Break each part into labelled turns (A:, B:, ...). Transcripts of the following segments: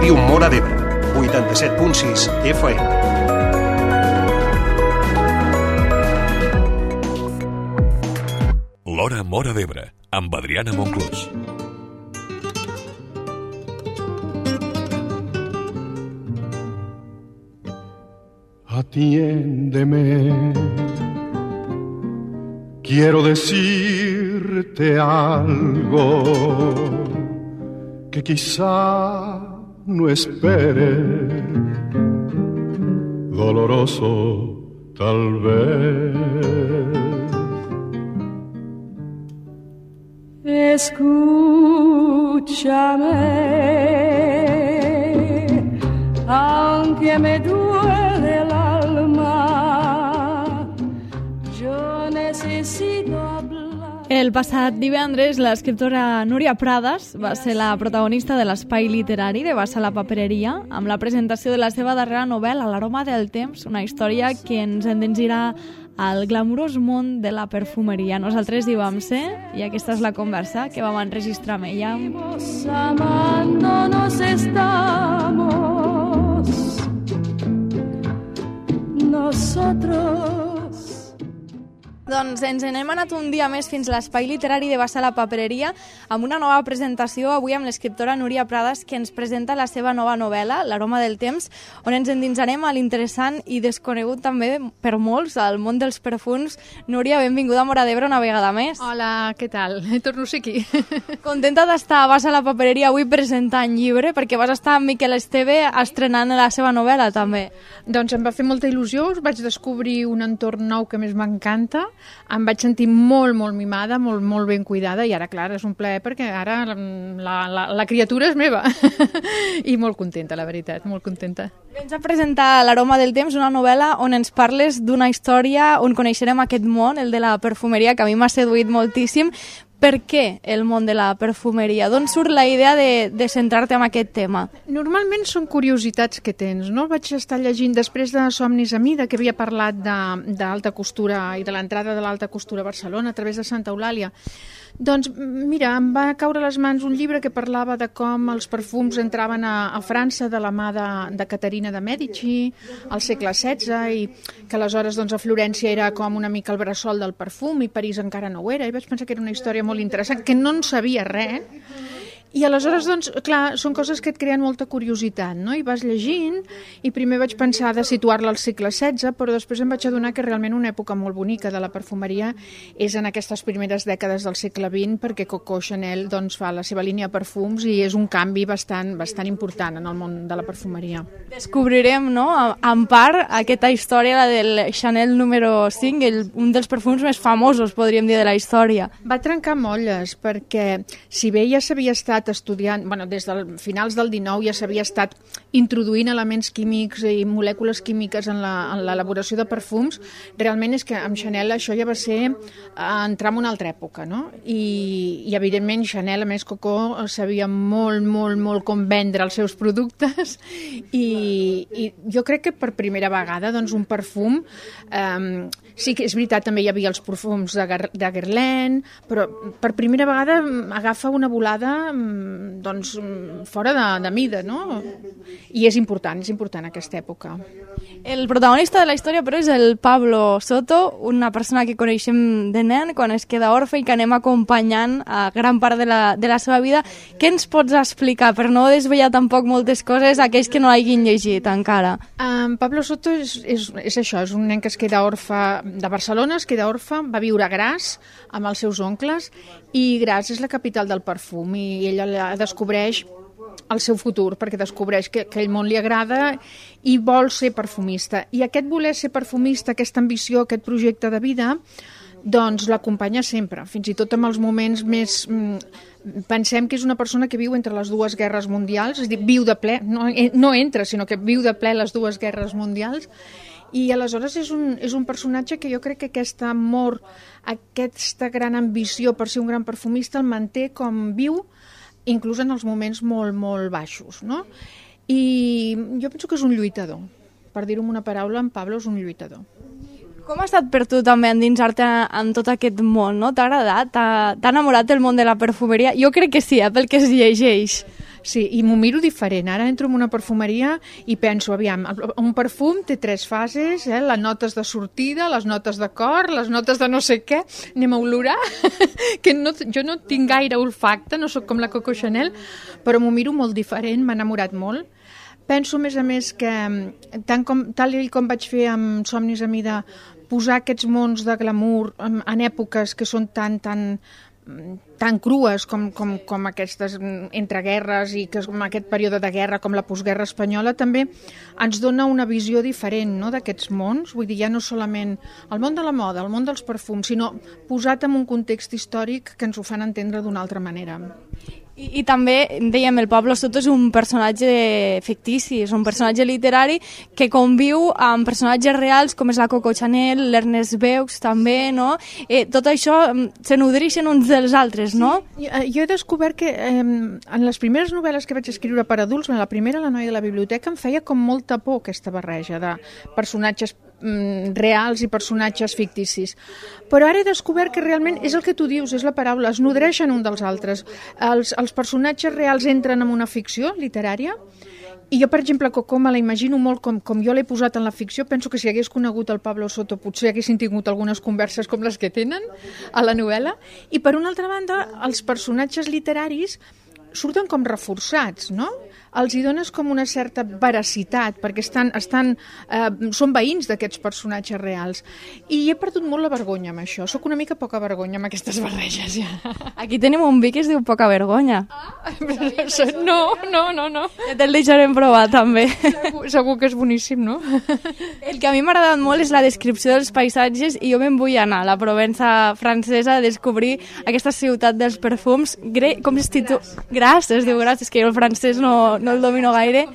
A: Ràdio Móra d'Ebre, 87.6 FM.
B: L'Hora Móra d'Ebre, amb Adriana Monclús.
C: Atiéndeme, quiero decirte algo que quizá no espere, doloroso tal vez.
D: Escúchame, aunque me duele el alma, yo necesito hablar.
E: El passat divendres, l'escriptora Núria Prades va ser la protagonista de l'espai literari de Bassa la Papereria amb la presentació de la seva darrera novel·la, L'aroma del temps, una història que ens endensirà al glamurós món de la perfumeria. Nosaltres hi vam ser i aquesta és la conversa que vam enregistrar amb ella.
D: Amándonos estamos nosotros.
E: Doncs ens n'hem anat un dia més fins a l'espai literari de Bassa la Papereria amb una nova presentació, avui amb l'escriptora Núria Prades, que ens presenta la seva nova novel·la, L'aroma del temps, on ens endinsarem a l'interessant i desconegut també per molts al món dels perfums. Núria, benvinguda a Móra d'Ebre una vegada més.
F: Hola, què tal? Torno a ser aquí.
E: Contenta d'estar a Bassa la Papereria avui presentant llibre, perquè vas estar amb Miquel Esteve estrenant la seva novel·la també.
F: Doncs em va fer molta il·lusió, vaig descobrir un entorn nou que més m'encanta, em vaig sentir molt, molt mimada, molt, molt ben cuidada, i ara, clar, és un plaer perquè ara la criatura és meva. I molt contenta, la veritat, molt contenta.
E: Vens a presentar L'aroma del temps, una novel·la on ens parles d'una història on coneixerem aquest món, el de la perfumeria, que a mi m'ha seduït moltíssim. Per què el món de la perfumeria? D'on surt la idea de centrar-te en aquest tema?
F: Normalment són curiositats que tens, no? Vaig estar llegint després de Somnis a Mida, que havia parlat d'alta costura i de l'entrada de l'alta costura a Barcelona a través de Santa Eulàlia. Doncs mira, em va caure a les mans un llibre que parlava de com els perfums entraven a França de la mà de Caterina de Mèdici al segle XVI, i que aleshores doncs, a Florència era com una mica el bressol del perfum i París encara no ho era, i vaig pensar que era una història molt interessant, que no en sabia res. I aleshores, doncs, clar, són coses que et creen molta curiositat, no? I vas llegint, i primer vaig pensar de situar-la al segle XVI, però després em vaig adonar que realment una època molt bonica de la perfumeria és en aquestes primeres dècades del segle XX, perquè Coco Chanel doncs, fa la seva línia de perfums i és un canvi bastant important en el món de la perfumeria.
E: Descobrirem, no?, en part, aquesta història, la del Chanel número 5, un dels perfums més famosos, podríem dir, de la història.
F: Va trencar molles, perquè si bé ja s'havia estat estudiant, des dels finals del XIX ja s'havia estat introduint elements químics i molècules químiques en l'elaboració de perfums, realment és que amb Chanel això ja va ser entrar en una altra època, no? I evidentment Chanel, a més Coco, sabia molt, molt, molt com vendre els seus productes, i jo crec que per primera vegada doncs, un perfum, sí que és veritat, també hi havia els perfums de Guerlain, però per primera vegada agafa una volada doncs, fora de mida, no? I és important aquesta època.
E: El protagonista de la història, però, és el Pablo Soto, una persona que coneixem de nen quan es queda orfe i que anem acompanyant a gran part de la seva vida. Què ens pots explicar, per no desvetllar tampoc moltes coses a aquells que no l'hagin llegit encara?
F: Pablo Soto és això, és un nen que es queda orfe de Barcelona, es queda orfe, va viure a Gras amb els seus oncles, i Gras és la capital del perfum, i ella descobreix el seu futur, perquè descobreix que aquell món li agrada i vol ser perfumista. I aquest voler ser perfumista, aquesta ambició, aquest projecte de vida, doncs l'acompanya sempre, fins i tot en els moments més... Pensem que és una persona que viu entre les dues guerres mundials, és a dir, viu de ple, no entra, sinó que viu de ple les dues guerres mundials, i aleshores és un personatge que jo crec que aquest amor, aquesta gran ambició per ser un gran perfumista el manté com viu, inclús en els moments molt, molt baixos, no? I jo penso que és un lluitador. Per dir-ho amb una paraula, en Pablo és un lluitador.
E: Com ha estat per tu també endinsar-te en tot aquest món, no? T'ha agradat? T'ha enamorat del món de la perfumeria? Jo crec que sí, pel que es llegeix.
F: Sí, i m'ho miro diferent. Ara entro en una perfumeria i penso, aviam, un perfum té 3 fases, les notes de sortida, les notes de cor, les notes de no sé què, anem a olorar, que jo no tinc gaire olfacte, no sóc com la Coco Chanel, però m'ho miro molt diferent, m'ha enamorat molt. Penso, a més, que tal com vaig fer amb Somnis a mi de posar aquests mons de glamour en èpoques que són tan crues com aquestes entreguerres i que com aquest període de guerra com la postguerra espanyola, també ens dona una visió diferent, no?, d'aquests mons. Vull dir, ja no solament el món de la moda, el món dels perfums, sinó posat en un context històric que ens ho fan entendre d'una altra manera.
E: I també, dèiem, el Pablo Soto és un personatge fictici, és un personatge literari que conviu amb personatges reals com és la Coco Chanel, l'Ernest Beux també, no? Tot això se nodreixen uns dels altres, no?
F: Sí. Jo he descobert que en les primeres novel·les que vaig escriure per adults, la primera, La noia de la biblioteca, em feia com molta por aquesta barreja de personatges reals i personatges ficticis. Però ara he descobert que realment és el que tu dius, és la paraula, es nodreixen un dels altres. Els personatges reals entren en una ficció literària i jo, per exemple, Coco me la imagino molt com jo l'he posat en la ficció. Penso que si hagués conegut el Pablo Soto potser haguessin tingut algunes converses com les que tenen a la novel·la. I per una altra banda, els personatges literaris surten com reforçats, no? Els hi dones com una certa veracitat, perquè són veïns d'aquests personatges reals. I he perdut molt la vergonya amb això. Soc una mica poca vergonya amb aquestes barreges, ja.
E: Aquí tenim un vi que es diu Poca Vergonya.
F: No.
E: Ja te'l deixarem provar, també.
F: Segur que és boníssim, no?
E: El que a mi m'ha agradat molt és la descripció dels paisatges i jo me'n vull anar a la Provença francesa a descobrir aquesta ciutat dels perfums. Com es titula? Gras, es diu Gras, és que jo el francès no el domino gaire,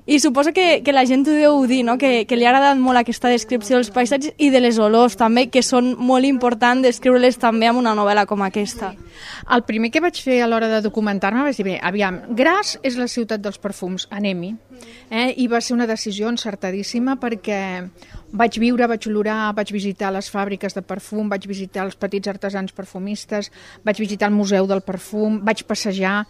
E: i suposo que la gent ho deu dir, no? Que li ha agradat molt aquesta descripció dels paisatges i de les olors també, que són molt importants descriure-les també amb una novel·la com aquesta.
F: El primer que vaig fer a l'hora de documentar-me vaig dir, bé, aviam, Gras és la ciutat dels perfums, anem-hi. I va ser una decisió encertadíssima perquè vaig viure, vaig olorar, vaig visitar les fàbriques de perfum, vaig visitar els petits artesans perfumistes, vaig visitar el Museu del Perfum, vaig passejar,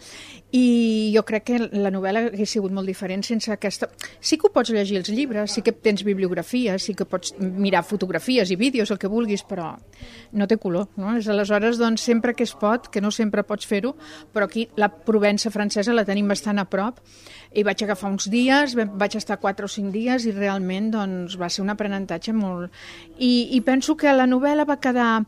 F: i jo crec que la novel·la hauria sigut molt diferent sense aquesta... Sí que ho pots llegir els llibres, sí que tens bibliografies, sí que pots mirar fotografies i vídeos, el que vulguis, però no té color, no? Aleshores, doncs, sempre que es pot, que no sempre pots fer-ho, però aquí la Provença francesa la tenim bastant a prop, i vaig agafar uns dies, vaig estar 4 o 5 dies i realment doncs, va ser un aprenentatge molt... I penso que la novel·la va quedar...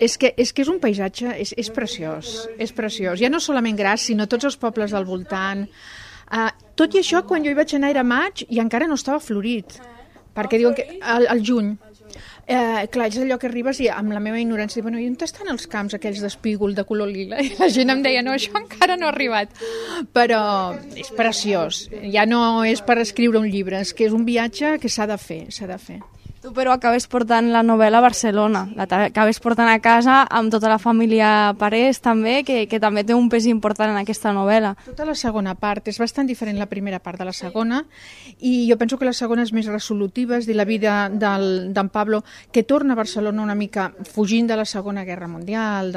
F: És que és un paisatge, és preciós, és preciós. Ja no solament Gras, sinó tots els pobles del voltant. Tot i això, quan jo hi vaig anar era maig i encara no estava florit, perquè diuen que al juny. Clar, és allò que arribes i amb la meva ignorància, bueno, i on estan els camps aquells d'espígol de color lila? I la gent em deia, no, això encara no ha arribat. Però és preciós, ja no és per escriure un llibre, és que és un viatge que s'ha de fer, s'ha de fer.
E: Tu, però, acabes portant la novel·la a Barcelona, l'acabes portant a casa amb tota la família Parés, també, que també té un pes important en aquesta novel·la.
F: Tota la segona part, és bastant diferent la primera part de la segona, i jo penso que la segona és més resolutiva, és dir, la vida d'en Pablo, que torna a Barcelona una mica fugint de la Segona Guerra Mundial,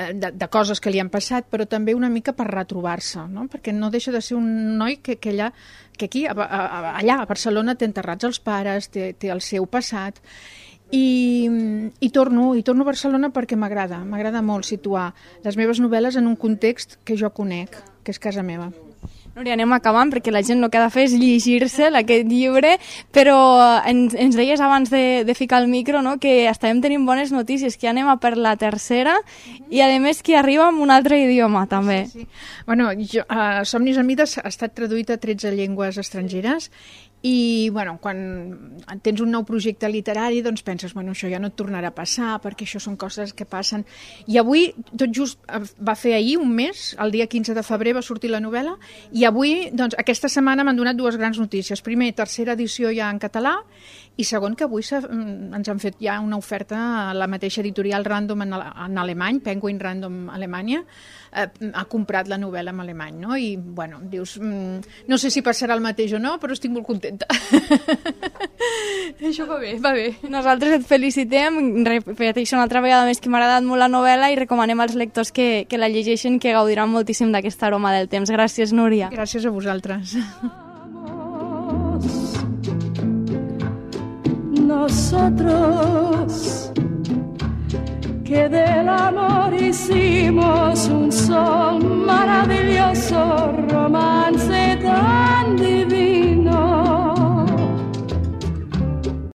F: de coses que li han passat, però també una mica per retrobar-se, no? Perquè no deixa de ser un noi que aquí, allà a Barcelona, té enterrats els pares, té el seu passat, i torno a Barcelona perquè m'agrada molt situar les meves novel·les en un context que jo conec, que és casa meva.
E: Núria, anem acabant perquè la gent el que ha de fer és llegir-se aquest llibre, però ens deies abans de ficar el micro, no?, que estàvem tenint bones notícies, que anem a per la tercera i a més que arriba en un altre idioma també.
F: Sí. Bueno, Somnis a mi ha estat traduït a 13 llengües estrangeres i bueno, quan tens un nou projecte literari doncs penses, bueno, això ja no et tornarà a passar perquè això són coses que passen, i avui tot just va fer ahir un mes, el dia 15 de febrer va sortir la novel·la, i avui, doncs aquesta setmana m'han donat 2 grans notícies. Primer, tercera edició ja en català, i segon, que avui ens han fet ja una oferta a la mateixa editorial Random en alemany, Penguin Random Alemanya, ha comprat la novel·la en alemany, no? I bueno, dius, no sé si passarà el mateix o no, però estic molt contenta contenta. Això va bé, va bé.
E: Nosaltres et felicitem, repeteixo una altra vegada més que m'ha agradat molt la novel·la i recomanem als lectors que la llegeixin, que gaudiran moltíssim d'aquesta aroma del temps. Gràcies, Núria.
F: Gràcies a vosaltres.
D: Nosotros que del amor hicimos un sol maravilloso romance.